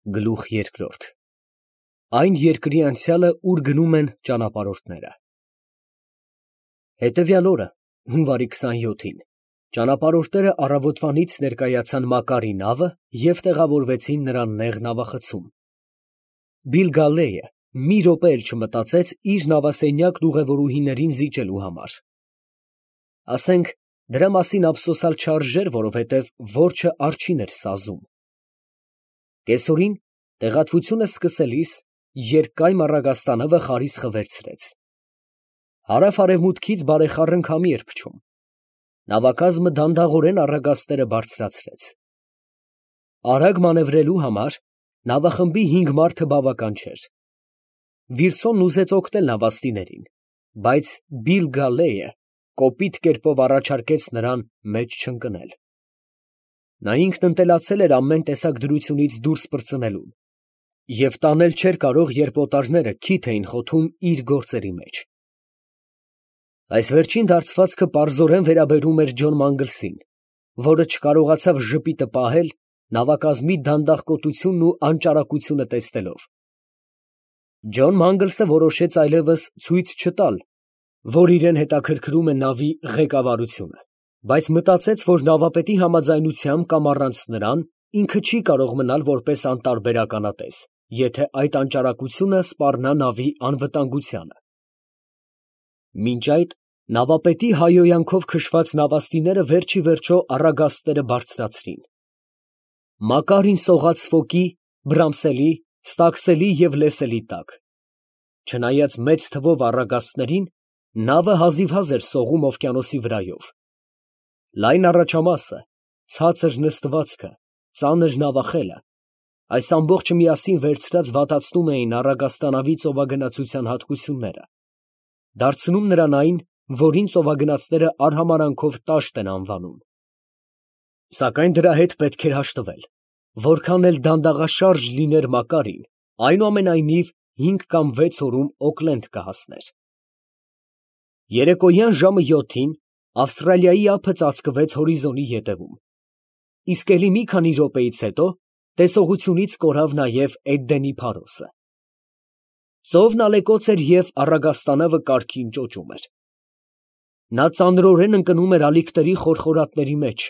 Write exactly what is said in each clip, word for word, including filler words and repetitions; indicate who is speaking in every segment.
Speaker 1: Գլուխ երկրորդ Այն երկրի անցյալը, ուր գնում են ճանապարհորդները։ Հետևյալ օրը, հունվարի քսանյոթին, ճանապարհորդները առավոտվանից ներկայացան Մակարի նավը և տեղավորվեցին նրա նեղ նավախցում։ Բիլ Գալլեյը մի րոպե էլ չմտածեց իր նավասենյակն ուղևորուհիներին զիջելու համար։ Ասենք, դրա մասին ափսոսալ չարժեր, որովհետև որջը արջին էր սազում։ Կեսօրին, տեղատվությունը սկսելիս, երկկայմ առագաստանավը խարիսխը վերցրեց։ Հարավ֊արևմուտքից բարեխառն քամի էր փչում։ Նավակազմը դանդաղորեն առագաստերը բարձրացրեց։ Արագ մանևրելու համար նավախմբի հինգ մարդը բավական չէր։ Վիլսոնն ուզեց օգնել նավաստիներին, բայց Բիլ Գալլեյը կոպիտ կերպով առաջարկեց նրան մեջ չընկնել։ Նա ինքն ընտելացել էր ամեն տեսակ դրությունից դուրս պրծնելուն և տանել չէր կարող, երբ օտարները քիթ էին խոթում իր գործերի մեջ։ Այս վերջին դարձվածքը պարզորեն վերաբերում էր Ջոն Մանգլսին, որը չկարողացավ ժպիտը պահել նավակազմի դանդաղկոտությունն ու անճարակությունը տեսնելով։ Ջոն Մանգլսը որոշեց այլևս ցույց չտալ, որ իրեն հետաքրքրում է նավի ղեկավարությունը, բայց մտածեց, որ նավապետի համաձայնությամբ կամ առանց նրան ինքը չի կարող մնալ որպես անտարբեր ականատես, եթե այդ անճարակությունը սպառնա նավի անվտանգությանը։ Մինչ այդ նավապետի հայհոյանքով քշված նավաստիները վերջիվերջո առագաստները բարձրացրին։ Մակարին սողաց Ֆոկի, Բրամսելի, Ստաքսելի և Լեսելի տակ։ Չնայած մեծ թվով առագաստներին, նավը հազիվհազ էր սողում օվկիանոսի վրայով։ Լայն առաջամասը, ցածր նստվածքը, ծանր նավախելը, այս ամբողջը միասին վերցրած վատացնում էին առագաստանավի ծովագնացության հատկությունները, դարձնում նրան այն, որին ծովագնացները արհամարհանքով տաշտ են անվանում։ Սակայն դրա հետ պետք էր հաշտվել, որքան էլ դանդաղաշարժ լիներ Մակարին, այնուամենայնիվ հինգ կամ վեց օրում Օքլենդ կհասներ։ Երեկոյան ժամը յոթին Ավստրալիայի ափը ծածկվեց հորիզոնի ետևում, իսկ էլի մի քանի րոպեից հետո տեսողությունից կորավ նաև Էդդենի փարոսը։ Ծովն ալեկոծ էր և առագաստանավը կարգին ճոճում էր։ Նա ծանրորեն ընկնում էր ալիքների խորխորատների մեջ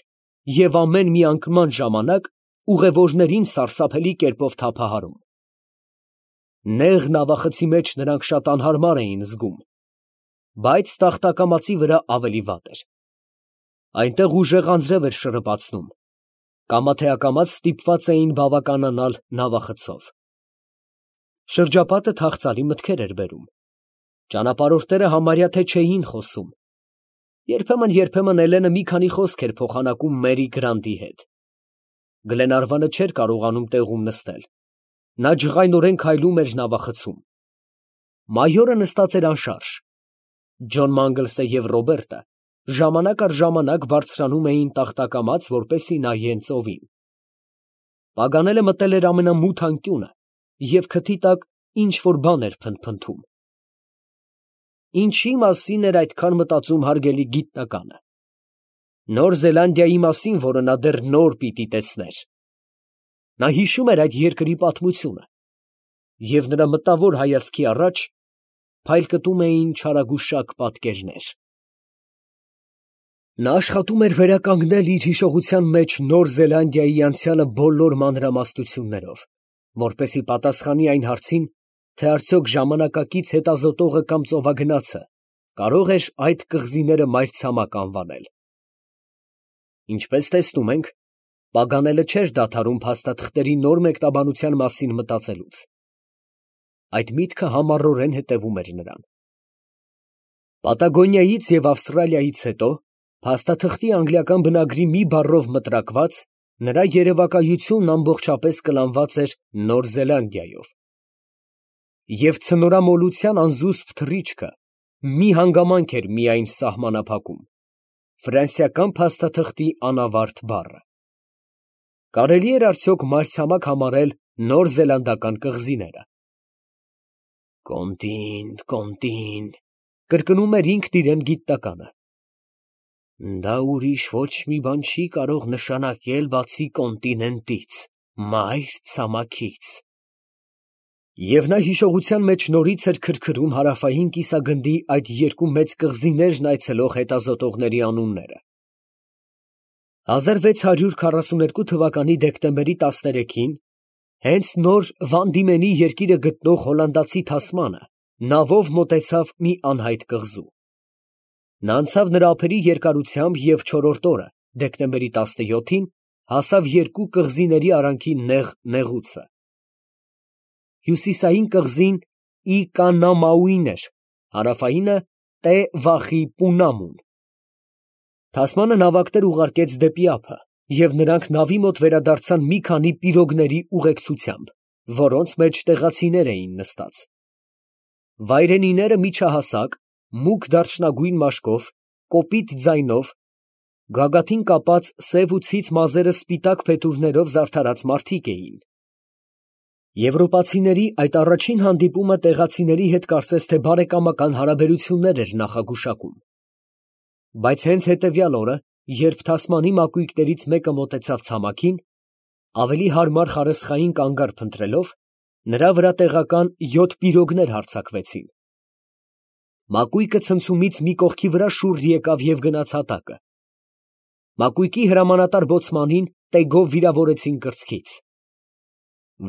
Speaker 1: և ամեն մի անկման ժամանակ ուղևորներին սարսափելի կերպով թափահարում։ Նեղ նավախցի մեջ նրանք շատ անհարմար էին զգում, բայց տախտակամածի վրա ավելի վատ էր։ Այնտեղ ուժեղ անձրև էր շրըպացնում, կամա թե ակամա ստիպված էին բավականանալ նավախցով։ Շրջապատը թախծալի մտքեր էր բերում։ Ճանապարհորդները համարյա թե չէին խոսում։ Երբեմն֊երբեմն Էլենը մի քանի խոսք էր փոխանակում Մերի Գրանտի հետ։ Գլենարվանը չէր կարողանում տեղում նստել։ Նա ջղայնորեն քայլում էր նավախցում։ Մայորը նստած էր անշարժ։ Ջոն Մանգլսը և Ռոբերտը ժամանակ առ ժամանակ բարձրանում էին տախտակամած, որպեսզի նայեն ծովին։ Պագանելը մտել էր ամենամութ անկյունը և քթի տակ ինչ֊որ բան էր փնթփնթում։ Ինչի՞ մասին էր այդքան մտածում հարգելի գիտնականը։ Նոր Զելանդիայի մասին, որը նա դեռ նոր պիտի տեսներ։ Նա հիշում էր այդ երկրի պատմությունը, և նրա մտավոր հայացքի առաջ փայլկտում էին չարագուշակ պատկերներ։ Նա աշխատում էր վերականգնել իր հիշողության մեջ Նոր Զելանդիայի անցյալը բոլոր մանրամասնություններով, որպեսզի պատասխանի այն հարցին, թե արդյոք ժամանակակից հետազոտողը կամ ծովագնացը կարո՞ղ էր այդ կղզիները մայրցամաք անվանել։ Ինչպես տեսնում ենք, Պագանելը չէր դադարում փաստաթղթերի նոր մեկնաբանության մասին մտածելուց։ Այդ միտքը համառորեն հետևում էր նրան։ Պատագոնիայից և Ավստրալիայից հետո փաստաթղթի անգլիական բնագրի մի բառով մտրակված, նրա երևակայությունն ամբողջապես կլանված էր Նոր Զելանդիայով։ Եվ ցնորամոլության անզուսպ թռիչքը մի հանգամանք էր միայն սահմանափակում՝ ֆրանսիական փաստաթղթի անավարտ բառը։ Կարելի էր արդյոք մայրցամաք համարել նոր զելանդական կղզիները։ «Կոնտինտ, կոնտինտ», կրկնում էր ինքն իրեն գիտնականը։ Դա ուրիշ ոչ մի բան չի կարող նշանակել, բացի կոնտինենտից։ մայր ցամաքից։ Եվ նա հիշողության մեջ նորից էր քրքրում հարավային կիսագնդի այդ երկու մեծ կղզիներն այցելող հետազոտողների անունները։ հազար վեց հարյուր քառասուներկու թվականի դեկտեմբերի տասներեքին հենց նոր Վան Դիմենի երկիրը գտնող հոլանդացի Թասմանը նավով մոտեցավ մի անհայտ կղզու։ Նա անցավ նրա ափերի երկարությամբ և չորրորդ օրը, դեկտեմբերի տասնյոթին, հասավ երկու կղզիների արանքի նեղ նեղուցը։ Հյուսիսային կղզին Ի Կանամաուին էր, հարավայինը Տե Վախի Պունամուն։ Թասմանը նավակներ ուղարկեց դեպի ափը, և նրանք նավի մոտ վերադարձան մի քանի պիրոգների ուղեկցությամբ, որոնց մեջ տեղացիներ էին նստած։ Վայրենիները միջահասակ, մուգ դարչնագույն մաշկով, կոպիտ ձայնով, գագաթին կապած սև ու ցից մազերը սպիտակ փետուրներով զարդարած մարդիկ էին։ Եվրոպացիների այդ առաջին հանդիպումը տեղացիների հետ կարծես թե բարեկամական հարաբերություններ էր նախագուշակում։ Բայց հենց հետևյալ օրը, երբ Թասմանի մակույկներից մեկը մոտեցավ ցամաքին, ավելի հարմար խարսխային կանգառ փնտրելով, նրա վրա տեղական յոթ պիրոգներ հարձակվեցին։ Մակույկը ցնցումից մի կողքի վրա շուռ եկավ և գնաց հատակը։ Մակույկի հրամանատար բոցմանին տեգով վիրավորեցին կրծքից։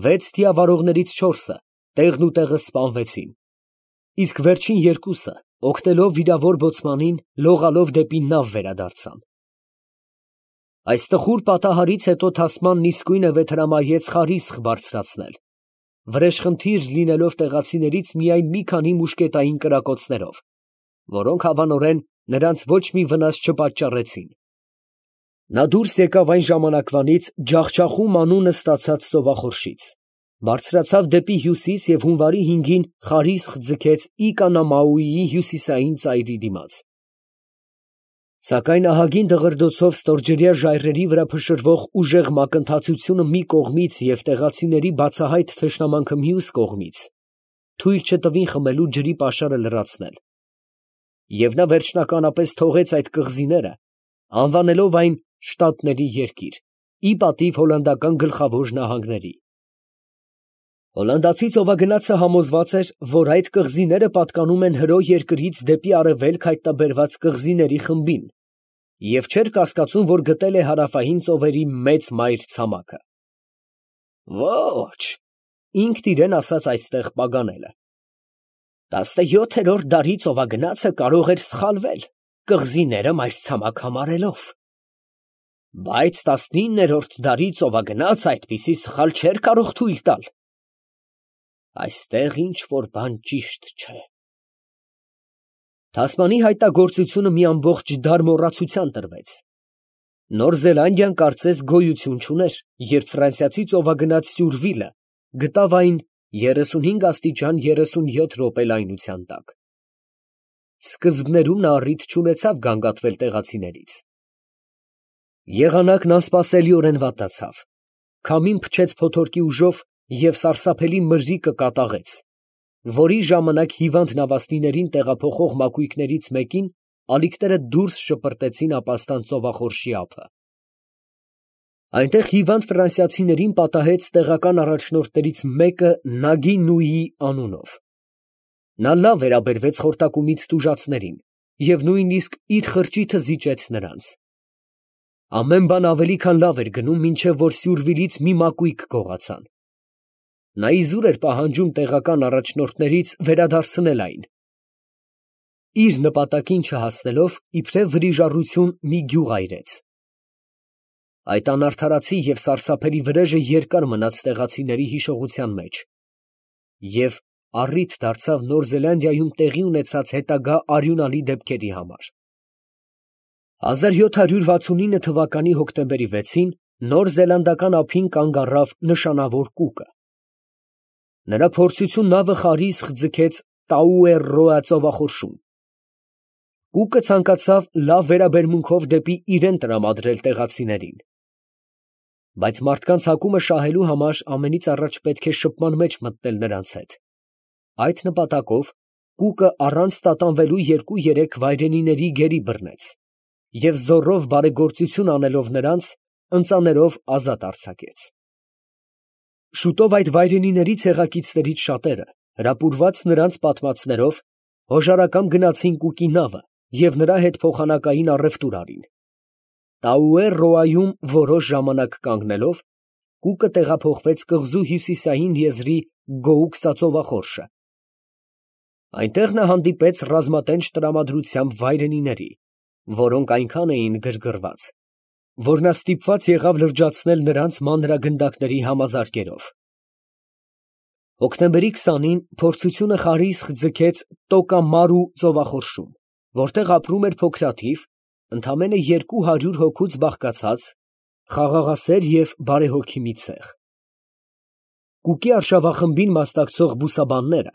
Speaker 1: Վեց թիավարողներից չորսը տեղն ու տեղը սպանվեցին, իսկ վերջին երկուսը, օգնելով վիրավոր բոցմանին, լողալով դեպի նավ վերադարձան։ Այս տխուր պատահարից հետո Թասմանն իսկույն վեթրամայեց խարիսխ բարձրացնել, վրեժխնդիր լինելով տեղացիներից միայն մի քանի մուշկետային կրակոցներով, որոնք հավանորեն նրանց ոչ մի վնաս չպատճառեցին։ Նա դուրս եկավ այն ժամանակվանից Ջախջախում անունը ստացած ծովախորշից, բարձրացավ դեպի հյուսիս և հունվարի հինգին խարիսխ ձգեց Ի Կանամաուիի հյուսիսային ծայրի դիմաց։ Սակայն ահագին դղրդոցով ստորջրյա ժայռերի վրա փշրվող ուժեղ մակընթացությունը մի կողմից և տեղացիների բացահայտ թշնամանքը մյուս կողմից թույլ չտվին խմելու ջրի պաշարը լրացնել, և նա վերջնականապես թողեց այդ կղզիները, անվանելով այն Շտատների երկիր, ի պատիվ հոլանդական գլխավոր նահանգների։ Հոլանդացի ծովագնացը համոզված էր, որ այդ կղզիները պատկանում են Հրո երկրից դեպի արևելք հայտնաբերված կղզիների խմբին և չէր կասկածում, որ գտել է հարավային ծովերի մեծ մայր ցամաքը։ Ոչ, ինքն իրան ասաց այստեղ Պագանելը, տասնյոթերորդ դարի ծովագնացը կարող էր սխալվել, կղզիները մայրցամաք համարելով, բայց տասնիններորդ դարի ծովագնացը այդպիսի սխալ չէր կարող թույլ տալ։ Այստեղ ինչ֊որ բան ճիշտ չէ։ Թասմանի հայտնագործությունը մի ամբողջ դար մոռացության տրվեց։ Նոր Զելանդիան կարծես գոյություն չուներ, երբ ֆրանսիացի ծովագնաց Սյուրվիլը գտավ այն երեսունհինգ աստիճան երեսունյոթ րոպե լայնության տակ։ Սկզբներում նա առիթ չունեցավ գանգատվել տեղացիներից։ Եղանակն անսպասելիորեն վատացավ, քամին փչեց փոթորկի ուժով և սարսափելի մրրիկը կատաղեց, որի ժամանակ հիվանդ նավաստիներին տեղափոխող մակույկներից մեկին ալիքները դուրս շպրտեցին ապաստան ծովախորշի ափը։ Այնտեղ հիվանդ ֆրանսիացիներին պատահեց տեղական առաջնորդներից մեկը Նագի Նուիի անունով։ Նա լավ վերաբերվեց խորտակումից տուժածներին և նույնիսկ իր խրճիթը զիջեց նրանց։ Ամեն բան ավելի քան լավ էր գնում, մինչև որ Սյուրվիլից մի մակույկ գողացան։ Նա իզուր էր պահանջում տեղական առաջնորդներից վերադարձնել այն։ Իր նպատակին չհասնելով, իբրև վրիժառություն մի գյուղ այրեց։ Այդ անարդարացի և սարսափելի վրեժը երկար մնաց տեղացիների հիշողության մեջ և առիթ դարձավ Նոր Զելանդիայում տեղի ունեցած հետագա արյունալի դեպքերի համար։ հազար յոթ հարյուր վաթսունինը թվականի հոկտեմբերի վեցին նոր զելանդական ափին կանգ առավ նշանավոր Կուկը։ Նրա փորձություն նավը խարիսխ ձգեց Տաուերրոա ծովախորշում։ Կուկը ցանկացավ լավ վերաբերմունքով դեպի իրեն տրամադրել տեղացիներին։ Բայց մարդկանց հակումը շահելու համար ամենից առաջ պետք է շփման մեջ մտնել նրանց հետ։ Այդ նպատակով Կուկը առանց տատանվելու երկու֊երեք վայրենիների գերի բռնեց և զոռով բարեգործություն անելով նրանց, ընծաներով ազատ արձակեց։ Շուտով այդ վայրենիների ցեղակիցներից շատերը, հրապուրված նրանց պատմածներով, հոժարակամ գնացին Կուկի նավը և նրա հետ փոխանակային առևտուր արին։ Տաուեր֊Ռոայում որոշ ժամանակ կանգնելով, Կուկը տեղափոխվեց կղզու հյուսիսային եզրի Գոուկսա ծովախորշը։ Այնտեղ նա հանդիպեց ռազմատենչ տրամադրությամբ վայրենիների, որոնք այնքան էին գրգռված, որ նա ստիպված եղավ լրջացնել նրանց մանրագնդակների համազարկերով։ Հոկտեմբերի քսանին փորձությունը խարիսխ ձգեց Տոկամարու ծովախորշում, որտեղ ապրում էր փոքրաթիվ, ընդամենը երկու հարյուր հոգուց բաղկացած, խաղաղասեր և բարեհոգի մի ցեղ։ Կուկի արշավախմբին մասնակցող բուսաբանները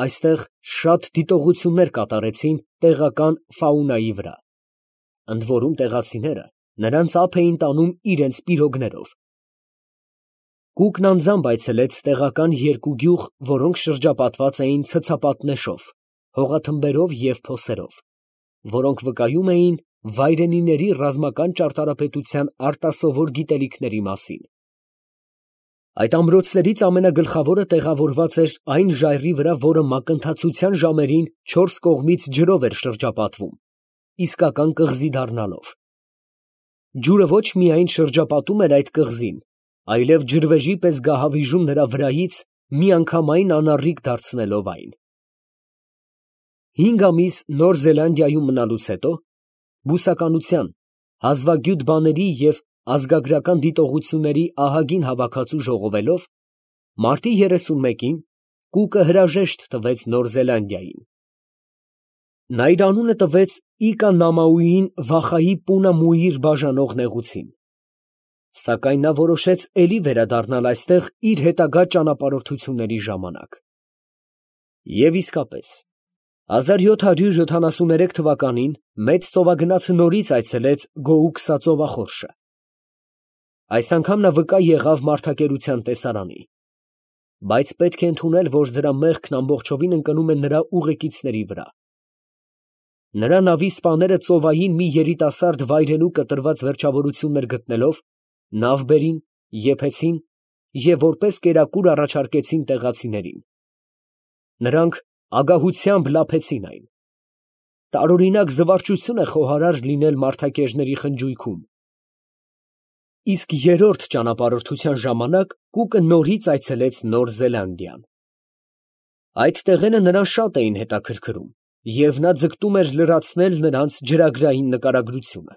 Speaker 1: այստեղ շատ դիտողություններ կատարեցին տեղական ֆաունայի վրա, ընդ որում տեղացիները նրանց ափ էին տանում իրենց պիրոգներով։ Կուկն անձամբ այցելեց տեղական երկու գյուղ, որոնք շրջապատված էին ցցապատնեշով, հողաթմբերով և փոսերով, որոնք վկայում էին վայրենիների ռազմական ճարտարապետության արտասովոր գիտելիքների մասին։ Այդ ամրոցներից ամենագլխավորը տեղավորված էր այն ժայռի վրա, որը մակընթացության ժամերին չորս կողմից ջրով էր շրջապատվում, իսկական կղզի դառնալով։ Ջուրը ոչ միայն շրջապատում էր այդ կղզին, այլև ջրվեժի պես գահավիժում նրա վրայից, միանգամայն անառիկ դարձնելով այն։ Հինգ ամիս Նոր Զելանդիայում մնալուց հետո, բուսականության, հազվագյուտ բաների և ազգագրական դիտողությունների ահագին հավաքածու ժողովելով, մարտի երեսունմեկին Կուկը հրաժեշտ տվեց Նոր Զելանդիային։ Նա իր անունը տվեց Իկա֊Նամաուին Վախայի Պունա֊Մուիր բաժանող նեղուցին, սակայն նա որոշեց էլի վերադառնալ այստեղ իր հետագա ճանապարհորդությունների ժամանակ։ Եվ իսկապես, հազար յոթ հարյուր յոթանասուներեք թվականին մեծ ծովագնացը նորից այցելեց Գոուկսա ծովախորշը։ Այս անգամ նա վկա եղավ մարդակերության տեսարանի, բայց պետք է ընդունել, որ դրա մեղքն ամբողջովին ընկնում է նրա ուղեկիցների վրա։ Նրա նավի սպաները ծովային մի երիտասարդ վայրենու կտրված վերջավորություններ գտնելով, նավ բերին, եփեցին և որպես կերակուր առաջարկեցին տեղացիներին։ Նրանք ագահությամբ լափեցին այն։ Տարօրինակ զվարճություն է խոհարար լինել մարդակերների խնջույքում։ Իսկ երրորդ ճանապարհորդության ժամանակ Կուկը նորից այցելեց Նոր Զելանդիան։ Այդ տեղերը նրան շատ էին հետաքրքրում, և նա ձգտում էր լրացնել նրանց ջրագրային նկարագրությունը։